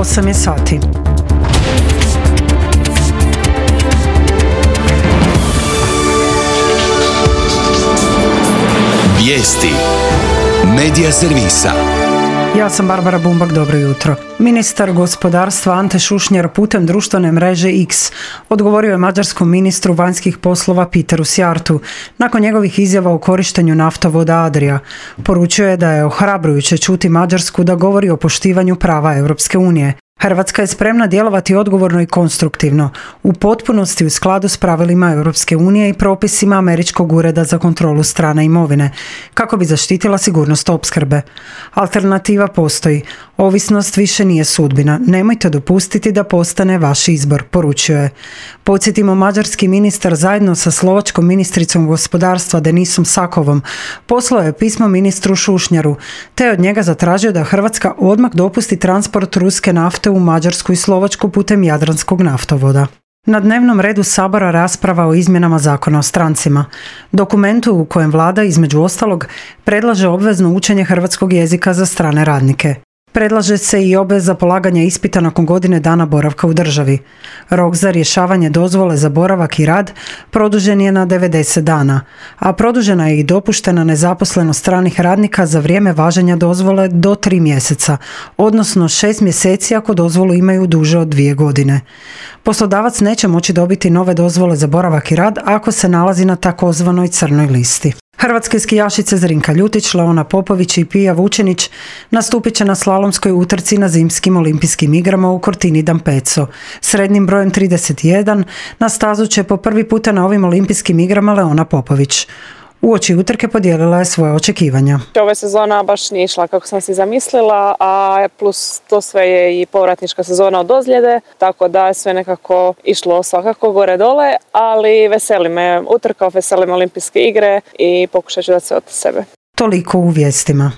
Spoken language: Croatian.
8 je sati. Vijesti Medija servisa. Ja sam Barbara Bumbak, dobro jutro. Ministar gospodarstva Ante Šušnjar putem društvene mreže X odgovorio je mađarskom ministru vanjskih poslova Peteru Sjartu nakon njegovih izjava o korištenju naftovoda Adria. Poručio je da je ohrabrujuće čuti Mađarsku da govori o poštivanju prava Europske unije. Hrvatska je spremna djelovati odgovorno i konstruktivno, u potpunosti u skladu s pravilima Europske unije i propisima Američkog ureda za kontrolu strane imovine, kako bi zaštitila sigurnost opskrbe. Alternativa postoji. Ovisnost više nije sudbina. Nemojte dopustiti da postane vaš izbor, poručio je. Podsjetimo, mađarski ministar zajedno sa slovačkom ministricom gospodarstva Denisom Sakovom poslao je pismo ministru Šušnjaru, te od njega zatražio da Hrvatska odmah dopusti transport ruske nafte u Mađarsku i Slovačku putem Jadranskog naftovoda. Na dnevnom redu Sabora rasprava o izmjenama Zakona o strancima. Dokumentu u kojem vlada, između ostalog, predlaže obvezno učenje hrvatskog jezika za strane radnike. Predlaže se i obveza polaganja ispita nakon godine dana boravka u državi. Rok za rješavanje dozvole za boravak i rad produžen je na 90 dana, a produžena je i dopuštena nezaposlenost stranih radnika za vrijeme važenja dozvole do 3 mjeseca, odnosno 6 mjeseci ako dozvolu imaju duže od 2 godine. Poslodavac neće moći dobiti nove dozvole za boravak i rad ako se nalazi na takozvanoj crnoj listi. Hrvatske skijašice Zrinka Ljutić, Leona Popović i Pija Vučenić nastupit će na slalomskoj utrci na zimskim olimpijskim igrama u Cortini d'Ampezzo. Srednjim brojem 31 na stazu će po prvi puta na ovim olimpijskim igrama Leona Popović. Uoči utrke podijelila je svoje očekivanja. Ova sezona baš nije išla kako sam si zamislila, a plus to sve je i povratnička sezona od ozljede, tako da je sve nekako išlo svakako gore dole, ali veseli me utrka, veseli me olimpijske igre i pokušat ću da se od sebe. Toliko u vijestima.